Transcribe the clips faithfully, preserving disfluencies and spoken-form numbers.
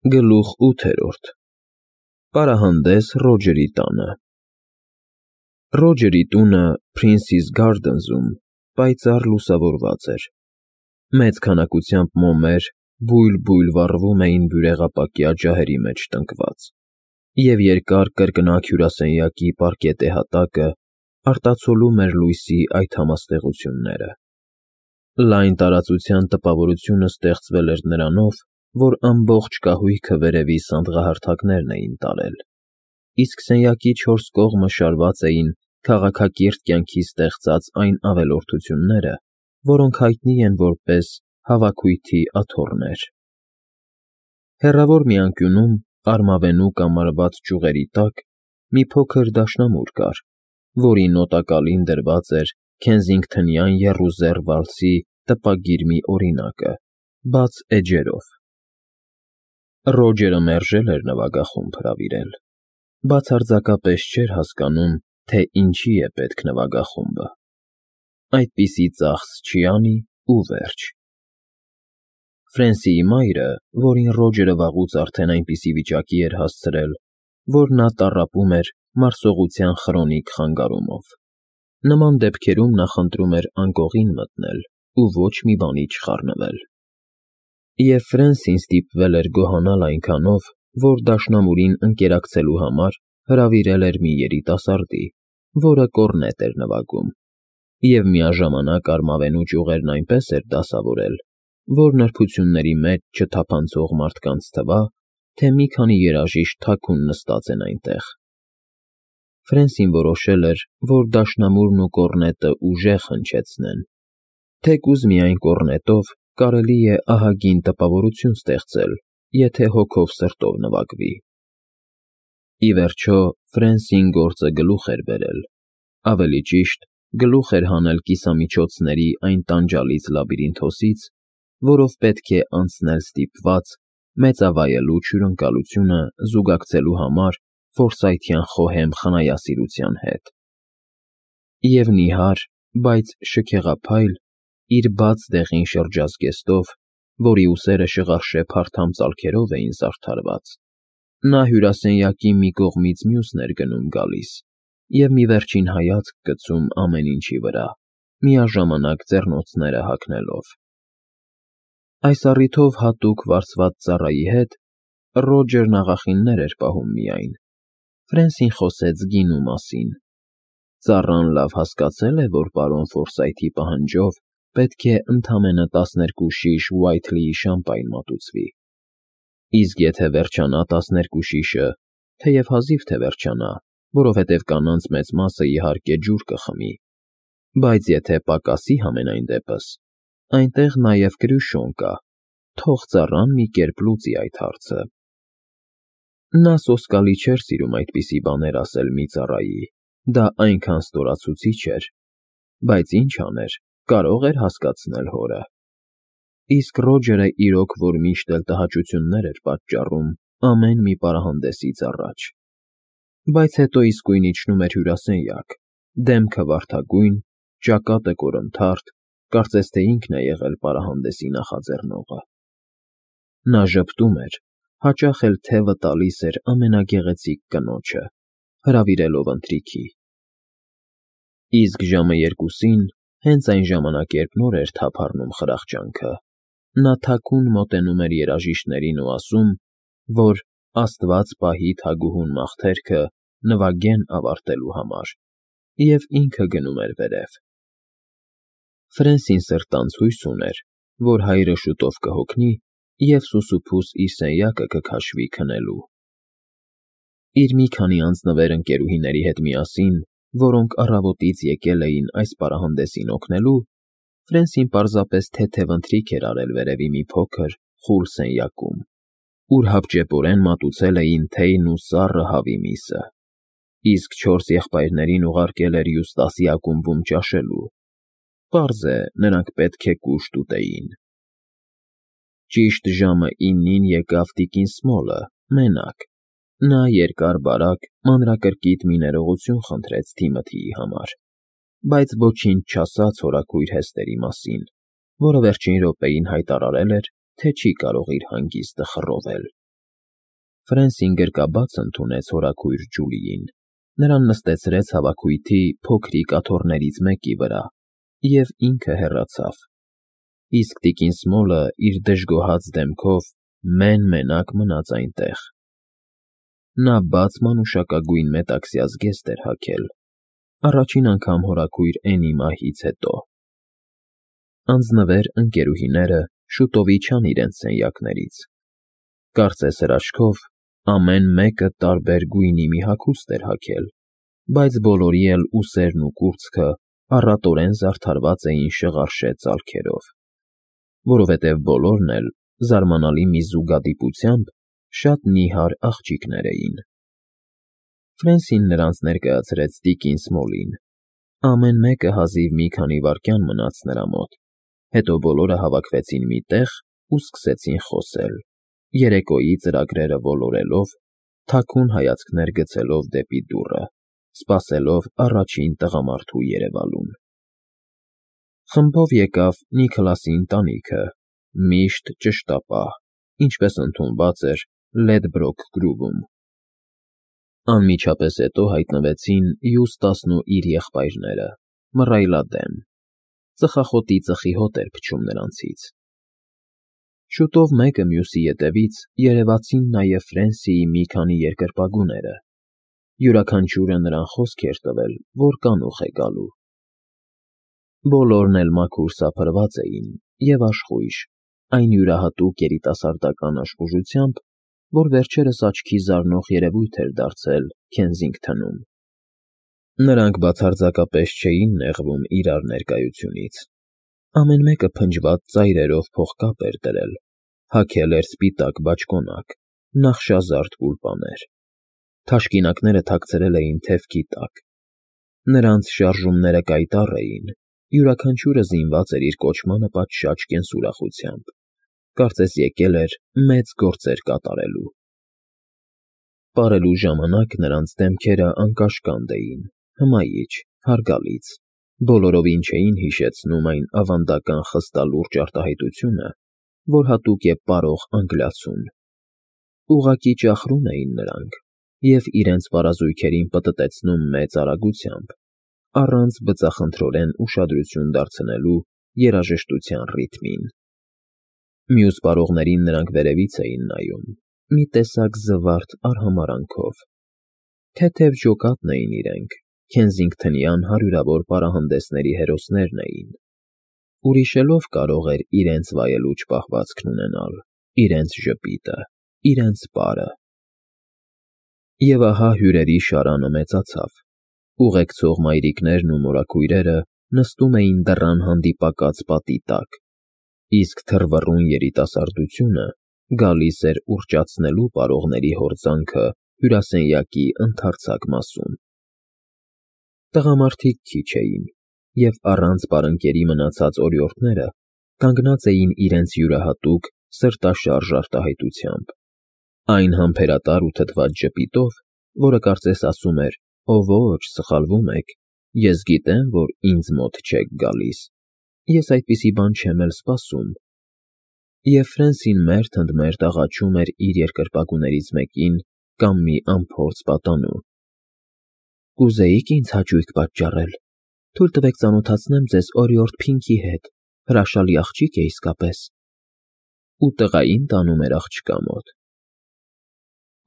Գլուխ ութերորդ Պարահանդես Ռոջերի տանը Ռոջերի տունը Փրինսիս Գարդենզում պայծառ լուսավորված էր. մեծ քանակությամբ մոմեր բույլ֊բույլ վառվում էին բյուրեղապակյա ջահերի մեջ տնկված, և երկար կրկնակ հյուրասենյակի պարկետե հատակը արտացոլում էր լույսի այդ համաստեղությունները։ Լայն տարածության տպավորությունը ստեղծվել էր նրանով, որ ամբողջ կահույքը վերևի սանդղահարթակներն էին տարել, իսկ սենյակի չորս կողմը շարված էին քաղաքակիրթ կյանքի ստեղծած այն ավելորդությունները, որոնք հայտնի են որպես հավաքույթի աթոռներ։ Հեռավոր մի անկյունում, արմավենու կամարված ճյուղերի տակ, մի փոքր դաշնամուր կար, որի նոտակալին դրված էր Քենսինգթոնյան եռուզեռ վալսի տպագիր մի օրինակը՝ բաց էջերով։ Ռոջերը մերժել էր նվագախումբ հրավիրել, բացարձակապես չէր հասկանում, թե ինչի է պետք նվագախումբը։ Այդպիսի ծախս չի անի ու վերջ։ Ֆրենսիի մայրը, որին Ռոջերը վաղուց արդեն այնպիսի վիճակի էր հասցրել, որ նա տառապում էր մարսողության խրոնիկ խանգարումով, նման դեպքերում նախընտրում էր անկողին մտնել ու ոչ մի բանի չխառնվել։ Եվ Ֆրենսին ստիպվել էր գոհանալ այնքանով, որ դաշնամուրին ընկերակցելու համար հրավիրել էր մի երիտասարդի, որը կոռնետ էր նվագում, և միաժամանակ արմավենու ճյուղերն այնպես էր դասավորել, որ նրբությունների մեջ չթափանցող մարդկանց թվա, թե մի քանի երաժիշտ թաքուն նստած են այնտեղ։ Ֆրենսին որոշել էր, որ դաշնամուրն ու կոռնետը ուժեղ հնչեցնեն, թեկուզ միայն կոռնետով կարելի է ահագին տպավորություն ստեղծել, եթե հոգով սրտով նվագվի։ Ի վերջո, Ֆրենսին գործը գլուխ էր բերել, ավելի ճիշտ, գլուխ էր հանել կիսամիջոցների այն տանջալից լաբիրինթոսից, որով պետք է անցնել ստիպված, մեծավայելուչ հյուրընկալությունը զուգակցելու համար ֆորսայթյան խոհեմ խնայասիրության հետ։ Եվ նիհար, բայց շքեղափայլ, իր բաց դեղին շրջազգեստով, որի ուսերը շղարշե փարթամ ծալքերով էին զարդարված, նա հյուրասենյակի մի կողմից մյուսն էր գնում֊գալիս և մի վերջին հայացք գցում ամեն ինչի վրա, միաժամանակ ձեռնոցները հագնելով։ Այս առիթով հատուկ վարձված ծառայի հետ Ռոջերն աղախիններ էր պահում միայն։ Ֆրենսին խոսեց գինու մասին։ Ծառան լավ հասկացել է, որ պարոն Ֆորսայթի պահանջով պետք է ընդամենը տասներկու շիշ Ուայթլիի շամպայն մատուցվի, իսկ եթե վերջանա տասներկու շիշը, թեև հազիվ թե վերջանա, որովհետև կանանց մեծ մասը, իհարկե, ջուր կխմի, բայց եթե պակասի համենայն դեպս, այնտեղ նաև Կրյուշոն կա, թող ծառան մի կերպ լուծի այդ հարցը։ Նա սոսկալի չէր սիրում այդպիսի բաներ ասել մի ծառայի, դա այնքան ստորացուցիչ էր, բայց ինչ աներ, կարող էր հասկացնել հորը։ Իսկ Ռոջերը իրոք որ միշտ էլ տհաճություններ էր պատճառում ամեն մի պարահանդեսից առաջ։ Բայց հետո իսկույն իջնում էր հյուրասենյակ, դեմքը վարդագույն, ճակատը կորնթարթ, կարծես թե ինքն է եղել պարահանդեսի նախաձեռնողը։ Նա ժպտում էր, հաճախ էլ թևը տալիս էր ամենագեղեցիկ կնոջը, հրավիրելով ընթրիքի։ Իսկ ժամը երկուսին, հենց այն ժամանակերբ նոր էր թափ առնում խրախճանքը, նա թաքուն մոտենում էր երաժիշտներին ու ասում, որ Աստված պահի թագուհուն մաղթերքը նվագեն ավարտելու համար, և ինքը գնում էր վերև։ Ֆրենսին սրտանց հույս ուներ, որ հայրը շուտով կհոգնի և սուսուփուս իր սենյակը կքաշվի քնելու։ Իր մի քանի անձնվեր ընկերուհիների հետ միասին, որոնք առավոտից եկել էին այս պարահանդեսին օգնելու, Ֆրենսին պարզապես թեթև ընթրիք էր արել վերևի մի փոքր, խուլ սենյակում, ուր հապճեպորեն մատուցել էին թեյն ու սառը հավի միսը, իսկ չորս եղբայրներին ուղարկել էր Յուստասի ակումբում ճաշելու։ Պարզ է, նրանք պետք է կուշտ ուտեին։ Ճիշտ ժամը իննին եկավ տիկին Սմոլը, մենակ։ Նա երկար֊բարակ, մանրակրկիտ մի ներողություն խնդրեց Թիմոթիի համար, բայց ոչինչ չասաց հորաքույր Հեստերի մասին, որը վերջին րոպեին հայտարարել էր, թե չի կարող իր հանգիստը խռովել։ Ֆրենսին գրկաբաց ընդունեց հորաքույր Ջուլիին, նրան նստեցրեց հավաքույթի փոքրիկ աթոռներից մեկի վրա և ինքը հեռացավ, իսկ տիկին Սմոլը իր դժգոհած դեմքով մեն֊մենակ մնաց այնտեղ. նա բաց մանուշակագույն մետաքսյա զգեստ էր հագել, առաջին անգամ հորաքույր Էնի մահից հետո։ Անձնվեր ընկերուհիները շուտով իջան իրենց սենյակներից, կարծես հրաշքով, ամեն մեկը տարբեր գույնի մի հագուստ էր հագել, բայց բոլորի էլ ուսերն ու կուրծքը առատորեն զարդարված էին շղարշե ծալքերով, որովհետև բոլորն էլ, զարմանալի մի զուգադիպությամբ, շատ նիհար աղջիկներ էին։ Ֆրենսին նրանց ներկայացրեց տիկին Սմոլին, ամեն մեկը հազիվ մի քանի վայրկյան մնաց նրա մոտ, հետո բոլորը հավաքվեցին մի տեղ ու սկսեցին խոսել, երեկոյի ծրագրերը ոլորելով, թաքուն հայացքներ գցելով դեպի դուռը, սպասելով առաջին տղամարդու երևալուն։ Խմբով եկավ Նիքլասի ընտանիքը, միշտ ճշտապահ, ինչպես ընդունված էր Լեդբրոք Գրուվում։ Անմիջապես հետո հայտնվեցին Յուստասն ու իր եղբայրները, մռայլադեմ, ծխախոտի ծխի հոտ էր փչում նրանցից։ Շուտով մեկը մյուսի ետևից երևացին նաև Ֆրենսիի մի քանի երկրպագուները, յուրաքանչյուրը նրան խոսք էր տվել, որ կանուխ է գալու։ Բոլորն էլ մաքուր սափրված էին և աշխույժ, այն յուրահատուկ երիտասարդական աշխուժությամբ, որ վերջերս աչքի զարնող երևույթ էր դարձել Քենսինգթնում։ Նրանք բացարձակապես չէին նեղվում իրար ներկայությունից։ Ամեն մեկը փնջված ծայրերով փողկապ էր դրել, հագել էր սպիտակ բաճկոնակ, նախշազարդ գուլպաներ։ Թաշկինակները թաքցրել էին թևքի տակ։ Նրանց շարժումները կայտառ էին, յուրաքանչյուրը զինված էր իր կոչմանը պատշաճ կենսուրախությամբ, կարծես եկել էր մեծ գործեր կատարելու։ Պարելու ժամանակ նրանց դեմքերը անկաշկանդ էին, հմայիչ, հարգալից, բոլորովին չէին հիշեցնում այն ավանդական խստալուրջ արտահայտությունը, որ հատուկ է պարող անգլիացուն։ Ուղղակի ճախրում էին նրանք և իրենց պարազույգերին պտտեցնում մեծ արագությամբ, առանց բծախնդրորեն ուշադրություն դարձնելու երաժշտության ռիթմին։ Մյուս պարողներին նրանք վերևից էին նայում, մի տեսակ զվարթ արհամարհանքով։ Թեթև ջոկատն էին իրենք, քենսինգթնյան հարյուրավոր պարահանդեսների հերոսներն էին։ Ուրիշելով կարող էր իրենց վայելուչ պահվածքն ունենալ, իրենց ժպիտը, իրենց պարը։ Եվ ահա հյուրերի շարանը մեծացավ, ուղեկցող մայրիկներն ու մորաքույրերը նստում էին դռան հանդիպակաց պատի տակ, իսկ թռվռուն երիտասարդությունը գալիս էր ուռճացնելու պարողների հորձանքը հյուրասենյակի ընդարձակ մասում։ Տղամարդիկ քիչ էին, և առանց պարընկերի մնացած օրիորդները կանգնած էին իրենց յուրահատուկ սրտաշարժ արտահայտությամբ, այն համբերատար ու թթված ժպիտով, որը կարծես ասում էր. «Ո ոչ, սխալվում եք, ես գիտեմ, որ ինձ մոտ չեք գալիս, ես այդպիսի բան չեմ էլ սպասում»։ Եվ Ֆրենսին մերթ ընդ մերթ աղաչում էր իր երկրպագուներից մեկին կամ մի անփորձ պատանու. «Կուզեի՞ք ինձ հաճույք պատճառել, թույլ տվեք ծանոթացնեմ ձեզ օրիորդ Փինքի հետ, հրաշալի աղջիկ է իսկապես»։ Ու տղային տանում էր աղջկա մոտ։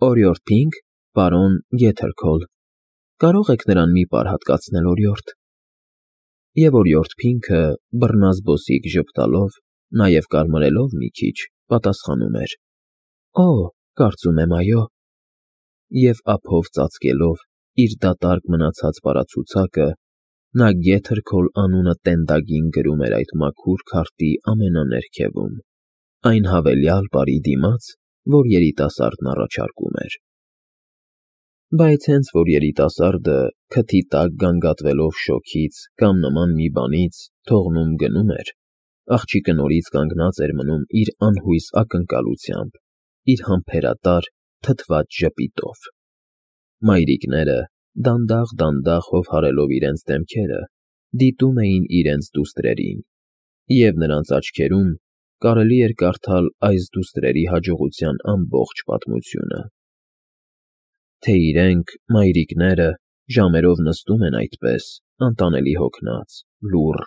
«Օրիորդ Փինք, պարոն Գեթերքոլ, կարող եք նրան մի պար հատկացնել, օրիորդ»։ Եվ օրիորդ Փինքը, բռնազբոսիկ ժպտալով, նաև կարմրելով մի քիչ, պատասխանում էր. «Օ, կարծում եմ, այո»։ Եվ ափով ծածկելով իր դատարկ մնացած պարացուցակը, նա Գեթերքոլ անունը տենդագին գրում էր այդ մաքուր քարտի ամենաներքևում, այն հավելյալ պարի դիմաց, որ երիտասարդն առաջարկում էր։ Բայց հենց որ երիտասարդը, քթի տակ գանգատվելով շոգից կամ նման մի բանից, թողնում֊գնում էր, աղջիկը նորից կանգնած էր մնում իր անհույս ակնկալությամբ, իր համբերատար, թթված ժպիտով։ Մայրիկները, դանդաղ֊դանդաղ հովհարելով իրենց դեմքերը, դիտում էին իրենց դուստրերին, և նրանց աչքերում կարելի էր կարդալ այս դուստրերի հաջողության ամբողջ պատմությունը։ թե իրենք, մայրիկները, ժամերով նստում են այդպես, անտանելի հոգնած, լուռ,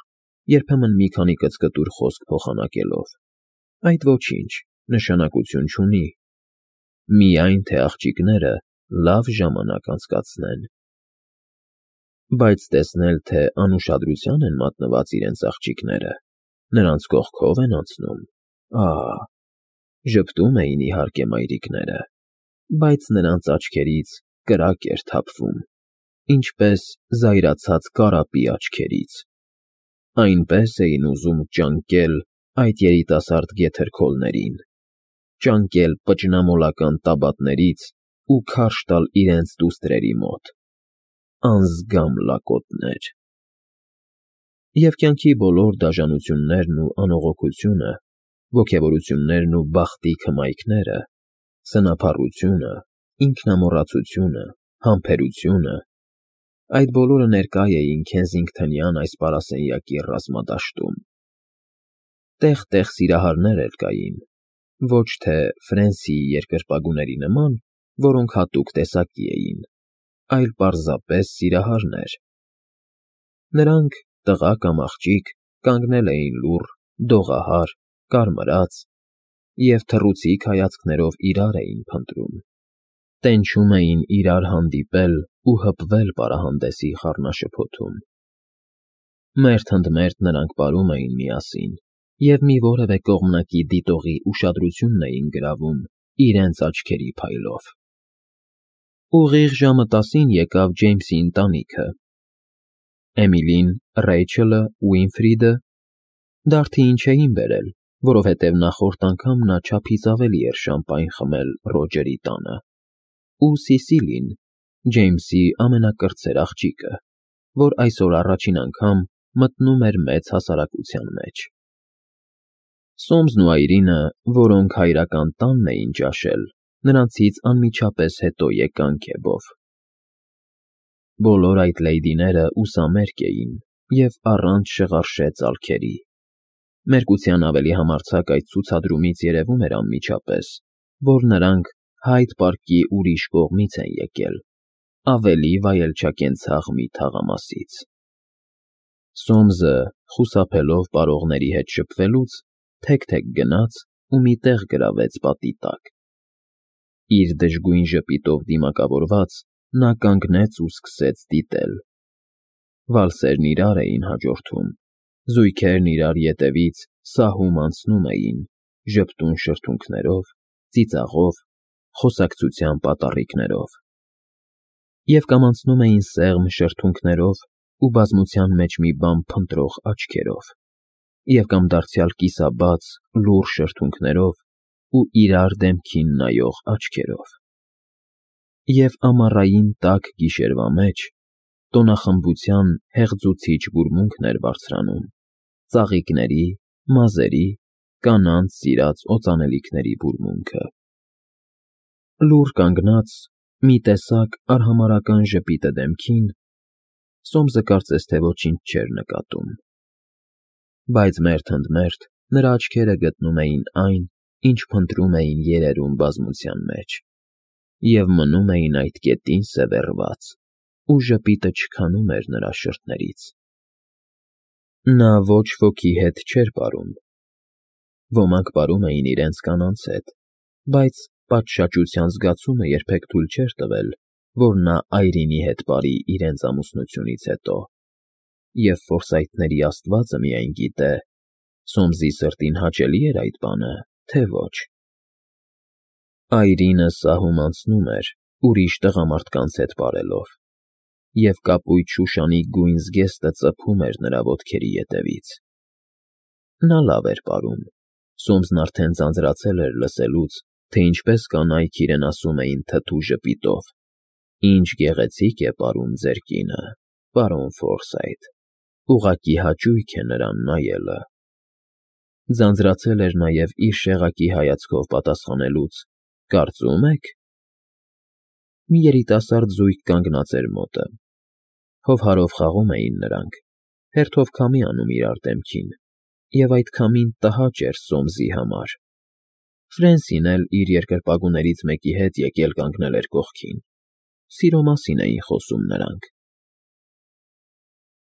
երբեմն մի քանի կծկտուր խոսք փոխանակելով, այդ ոչինչ, նշանակություն չունի, միայն թե աղջիկները լավ ժամանակ անցկացնեն։ Բայց տեսնել, թե անուշադրության են մատնված իրենց աղջիկները, նրանց կողքով են անցնում, ահ, ժպտում էին իհարկե մայրիկները, բայց նրանց աչքերից կրակ էր թափվում, ինչպես զայրացած կարապի աչքերից, այնպես էին ուզում ճանկել այդ երիտասարդ գեթերքոլներին, ճանկել պճնամոլական տաբատներից ու քարշ տալ իրենց դուստրերի մոտ, անզգամ լակոտներ։ Եվ կյանքի բոլոր դաժանություններն ու անողոքությունը, ոգևորություններն ու բախտի քմայքները, սնափառությունը, ինքնամոռացությունը, համբերությունը, այդ բոլորը ներկա էին Քենսինգթոնյան այս պարասենյակի ռազմադաշտում։ Տեղ֊տեղ սիրահարներ էլ կային, ոչ թե Ֆրենսիի երկրպագուների նման, որոնք հատուկ տեսակի էին, այլ պարզապես սիրահարներ։ Նրանք, տղա կամ աղջիկ, կանգնել էին լուռ, դողահար, կարմրած և թռուցիկ հայացքներով իրար էին փնտրում, տենչում էին իրար հանդիպել ու հպվել պարահանդեսի խառնաշփոթում։ Մերթ ընդ մերթ նրանք պարում էին միասին և մի որևէ կողմնակի դիտողի ուշադրությունն էին գրավում իրենց աչքերի փայլով։ Ուղիղ ժամը տասին եկավ Ջեյմսի ընտանիքը։ Էմիլին, Ռեյչելը, Ուինֆրիդը դարդիին չէին բերել, որովհետև նախորդ անգամ նա չափից ավելի էր շամպայն խմել Ռոջերի տանը, ու Սիսիլին, Ջեյմսի ամենակրտսեր աղջիկը, որ այսօր առաջին անգամ մտնում էր մեծ հասարակության մեջ։ Սոմսն ու Այրինը, որոնք հայրական տանն էին ճաշել, նրանցից անմիջապես հետո եկան քեֆով։ Բոլոր այդ լեյդիները ուսամերկ էին և առանց շղարշե ծալքերի։ Մերկության ավելի համարձակ այդ ցուցադրումից երևում էր անմիջապես, որ նրանք Հայդ պարկի ուրիշ կողմից են եկել, ավելի վայելչակենցաղ մի թաղամասից։ Սոմսը, խուսափելով պարողների հետ շփվելուց, թեք֊թեք գնաց ու մի տեղ գրավեց պատի տակ։ Իր դժգույն ժպիտով դիմակավորված, նա կանգնեց ու սկսեց դիտել։ Վալսերն իրար էին հաջորդում, զույգերն իրար ետևից սահում անցնում էին, ժպտուն շրթունքներով, ծիծաղով, խոսակցության պատառիկներով։ Եվ կամ անցնում էին սեղմ շրթունքներով ու բազմության մեջ մի բան փնտրող աչքերով, և կամ դարձյալ կիսաբաց, լուռ շրթունքներով ու իրար դեմքին նայող աչքերով։ Եվ ամառային տաք գիշերվա մեջ տոնախմբության հեղձուցիչ բուրմունքն էր բարձրանում, ծաղիկների, մազերի, կանանց սիրած օծանելիքների բուրմունքը։ Լուռ կանգնած, մի տեսակ արհամարհական ժպիտը դեմքին, Սոմսը կարծես թե ոչինչ չէր նկատում։ Բայց մերթ ընդ մերթ նրա աչքերը գտնում էին այն, ինչ փնտրում էին երերուն բազմության մեջ, և մնում էին այդ կետին սևեռված, ու ժպիտը չքանում էր նրա շրթներից։ Նա ոչ ոքի հետ չէր պարում։ Ոմանք պարում էին իրենց կանանց հետ, բայց պատշաճության զգացումը երբեք թույլ չէր տվել, որ նա Այրինի հետ պարի իրենց ամուսնությունից հետո, և Ֆորսայթների աստվածը միայն գիտե, Սոմսի սրտին հաճելի էր այդ բանը, թե ոչ։ Այրինը սահում անցնում էր, ուրիշ տղամարդկանց հետ պարելով, և կապույտ շուշանի գույն զգեստը ծփում էր նրա ոտքերի ետևից։ Նա լավ էր պարում, Սոմսն արդեն ձանձրացել էր լսելուց, թե ինչպես կանայք իրեն ասում էին թթու ժպիտով. «Ինչ գեղեցիկ է պարում ձեր կինը, պարոն Ֆորսայթ, ուղղակի հաճույք է նրան նայելը»։ Ձանձրացել էր նաև իր շեղակի հայացքով պատասխանելուց. «Կարծո՞ւմ եք»։ Մի երիտասարդ զույգ կանգնած էր մոտը։ Հովհարով խաղում էին նրանք, հերթով քամի անում իրար դեմքին, և այդ քամին տհաճ էր Սոմսի համար։ Ֆրենսին էլ իր երկրպագուներից մեկի հետ եկել կանգնել էր կողքին, Սիրո մասին էին խոսում նրանք։